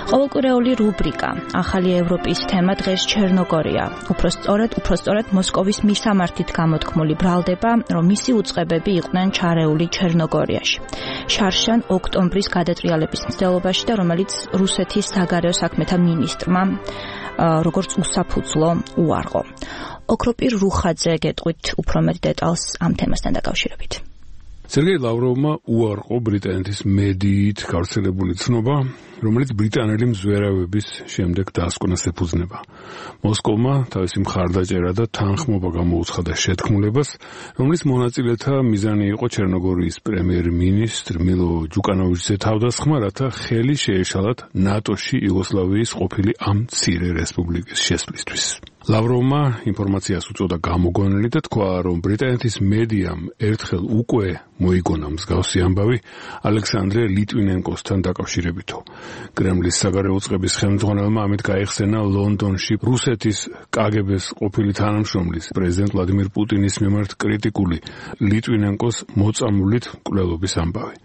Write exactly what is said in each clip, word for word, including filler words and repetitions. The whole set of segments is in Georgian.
ყოველკვირეული რუბრიკა ახალი ევროპის თემა დღეს ჩერნოგორია. უფრო სწორედ, უფრო სწორედ მოსკოვის მისამართით გამოთქმული ბრალდება, რომ მისი უწყებები იყვნენ ჩარეული ჩერნოგორიაში. შარშან ოქტომბრის გადატრიალების მცდელობაში და რომელიც რუსეთის საგარეო საქმეთა მინისტრმა როგორც უსაფუძვლო უარყო. ოქროპირ რუხაძე გეტყვით უფრო მეტ დეტალს ამ თემასთან დაკავშირებით. სერგეი ლავროვმა უარყო ბრიტანეთის მედიით გავრცელებული ცნობა, რომელიც ბრიტანელი მზვერავების შემდეგ დასკვნას ეფუძნება. მოსკოვმა თავისი მხარდაჭერა და თანხმობა გამოუცხადა შეთქმულებას, რომლის მონაწილეთა მიზანი იყო ჩერნოგორიის პრემიერ-მინისტრ მილო ჯუკანოვიჩზე თავდასხმა, რათა ხელი შეეშალათ ნატოში იუგოსლავიის ყოფილი ამ მცირე რესპუბლიკის შესვლისთვის. ლავროვმა ინფორმაციას უწოდა გამოგონილი და თქვა, რომ ბრიტანეთის მედიამ ერთხელ უკვე მოიგონა მსგავსი ამბავი ალექსანდრე ლიტვინენკოსთან დაკავშირებითო. კრემლის საგარეო წყების ხელმძღვანელმა ამით გაიხსენა ლონდონში რუსეთის კაგებეს ყოფილი თანამშრომლის პრეზიდენტ ვლადიმირ პუტინის მიმართ კრიტიკული ლიტვინენკოს მოწამულით მკვლელობის ამბავი.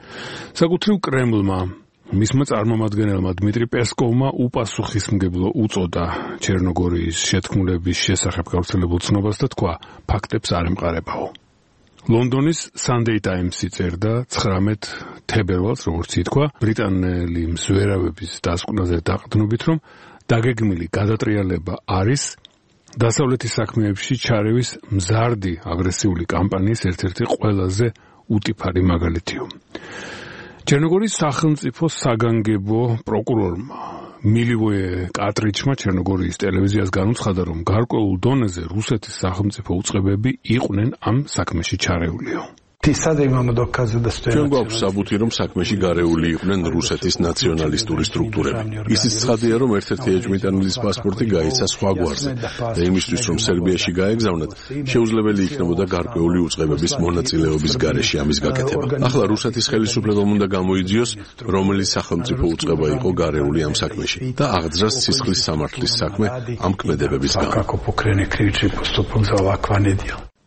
საკუთრივ კრემლმა მისმა წარმომადგენელმა დმიტრი პესკოვმა უპასუხისმგებლო უწოდა ჩერნოგორიის შეთქმულების შესახებ გავრცელებულ ცნობას და თქვა, ფაქტებს არ ემყარებაო. ლონდონის Sunday Times-ი წერდა ცხრამეტ თებერვალს, როგორც ითქვა, ბრიტანელი მზვერავების დასკვნაზე დაყრდნობით, რომ დაგეგმილი გადატრიალება არის დასავლეთის საქმეებში ჩარევის მზარდი აგრესიული კამპანიის ერთ-ერთი ყველაზე უტიფარი მაგალითიო. ჩერნოგორიის სახელმწიფო საგანგებო პროკურორმა მილივოე კატრიჩმა ჩერნოგორიის ტელევიზიას განუცხადა, რომ გარკვეულ დონეზე რუსეთის სახელმწიფო უწყებები იყვნენ ამ საქმეში ჩარეულიო. ჩვენ გვაქვს საბუთი, რომ საქმეში გარეული იყვნენ რუსეთის ნაციონალისტური სტრუქტურები. ისიც ცხადია, რომ ერთ-ერთი ეჭვმიტანილის პასპორტი გაიცა სხვა გვარზე და იმისთვის, რომ სერბიაში გაეგზავნათ, შეუძლებელი იქნებოდა გარკვეული უწყებების მონაწილეობის გარეშე ამის გაკეთება. ახლა რუსეთის ხელისუფლებამ უნდა გამოიძიოს, რომელი სახელმწიფო უწყება იყო გარეული ამ საქმეში და აღძრას სისხლის სამართლის საქმე ამ ქმედებების გამო.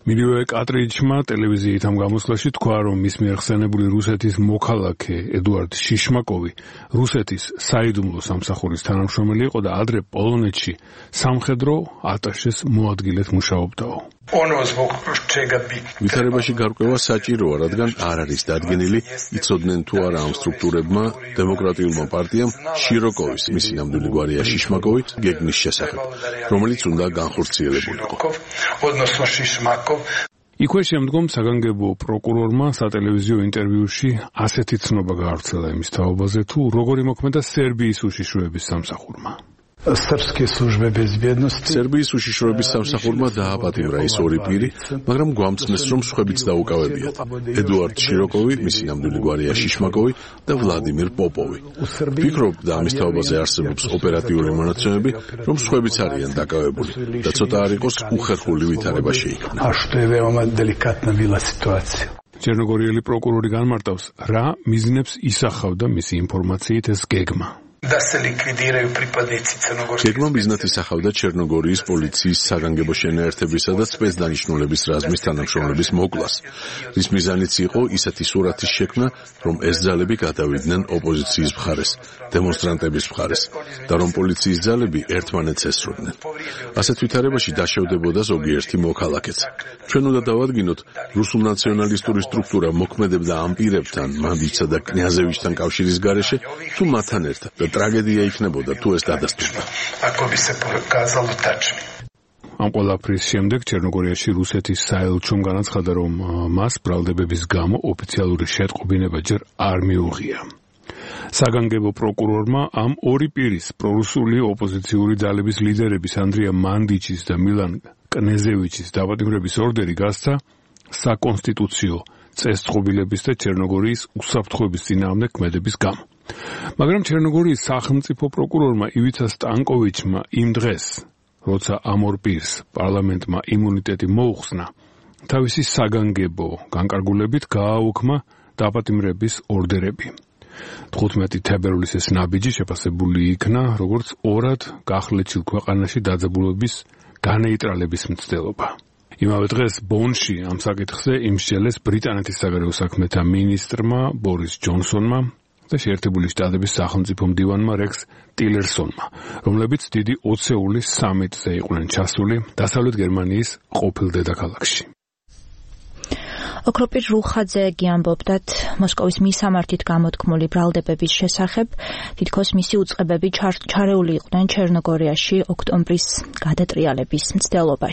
მილივოე კატრიჩმა ტელევიზიით ამ გამოსვლაში თქვა, რომ მის მიერ ხსენებული რუსეთის მოქალაქე ედუარდ შიშმაკოვი რუსეთის საიდუმლო სამსახურის თანამშრომელი იყო და ადრე პოლონეთში სამხედრო ატაშეს მოადგილედ მუშაობდაო. ვითარებაში გარკვევა საჭიროა, რადგან არ არის დადგენილი, იცოდნენ თუ არა ამ სტრუქტურებმა დემოკრატიულმა პარტიამ შიროკოვის, მისი ნამდვილი გვარია შიშმაკოვი, გეგმის შესახებ, რომელიც უნდა განხორციელებულიყო. იქვე შემდგომ საგანგებო პროკურორმა სატელევიზიო ინტერვიუში ასეთი ცნობა გაავრცელა იმის თაობაზე, თუ როგორი მოქმედა სერბიის უშიშროების სამსახურმა. სერბიის უშიშროების სამსახურმა დააპატიმრა ის ორი პირი, მაგრამ გვამცნეს, რომ სხვებიც დაუკავებიათ. ედუარდ შიროკოვი, მისი ნამდვილი გვარია შიშმაკოვი და ვლადიმირ პოპოვი. ვფიქრობ და ამის თაობაზე არსებობს ოპერატიული მონაცემები, რომ სხვებიც არიან დაკავებული და ცოტა არ იყოს უხერხული ვითარება შეიქმნა. ჩერნოგორიელი პროკურორი განმარტავს, რა მიზნებს ისახავდა მისი ინფორმაციით ეს გეგმა. გეგმა მიზნად ისახავდა ჩერნოგორიის პოლიციის საგანგებო შენაერთებისა და სპეცდანიშნულების რაზმის თანამშრომლების მოკვლას, რის მიზანიც იყო ისეთი სურათის შექმნა, რომ ეს ძალები გადავიდნენ ოპოზიციის მხარეს, დემონსტრანტების მხარეს და რომ პოლიციის ძალები ერთმანეთს ესროდნენ. ასეთ ვითარებაში დაშევდებოდა ზოგიერთი მოქალაქეც. ჩვენ უნდა დავადგინოთ, რუსულ ნაციონალისტური სტრუქტურა მოქმედებდა ამ პირებთან, მანდიჩსა და კნიაზევიჩთან კავშირის გარეშე, თუ მათთან ერთად და ტრაგედია იქნებოდა თუ ეს დადასტურდა. ამ ყველაფრის შემდეგ ჩერნოგორიაში რუსეთის საელჩომ განაცხადა, რომ მას ბრალდებების გამო ოფიციალური შეტყობინება ჯერ არ მიუღია. საგანგებო პროკურორმა ამ ორი პირის პრორუსული ოპოზიციური ძალების ლიდერების ანდრია მანდიჩის და მილან კნეზევიჩის დაპატიმრების ორდერი გასცა საკონსტიტუციო წესწყობილების და ჩერნოგორიის უსაფრთხოების წინააღმდეგ ქმედების გამო. მაგრამ ჩერნოგორიის სახელმწიფო პროკურორმა ივიცა სტანკოვიჩმა იმ დღეს, როცა ამ ორ პირს პარლამენტმა იმუნიტეტი მოუხსნა, თავისი საგანგებო განკარგულებით გააუქმა დაპატიმრების ორდერები. თხუთმეტი თებერვლის ეს ნაბიჯი შეფასებული იქნა, როგორც ორად გახლეჩილ ქვეყანაში დაძაბულობის განეიტრალების მცდელობა. იმავე დღეს ბონში ამ საკითხზე იმსჯელეს ბრიტანეთის საგარეო საქმეთა მინისტრმა ბორის ჯონსონმა, და შეერთებული შტატების სახელმწიფო მდივანმა რექს ტილერსონმა, რომლებიც დიდი ოცეული სამიტზე იყვნენ ჩასული დასავლეთ გერმანიის ყოფილ დედაქალაქში. ოქროპირ რუხაძე ამბობდათ მოსკოვის მისამართით გამოთქმული ბრალდებების შესახებ, თითქოს მისი უწყებები ჩარეული იყვნენ ჩერნოგორიაში ოქტომბრის გადატრიალების მცდელობაში.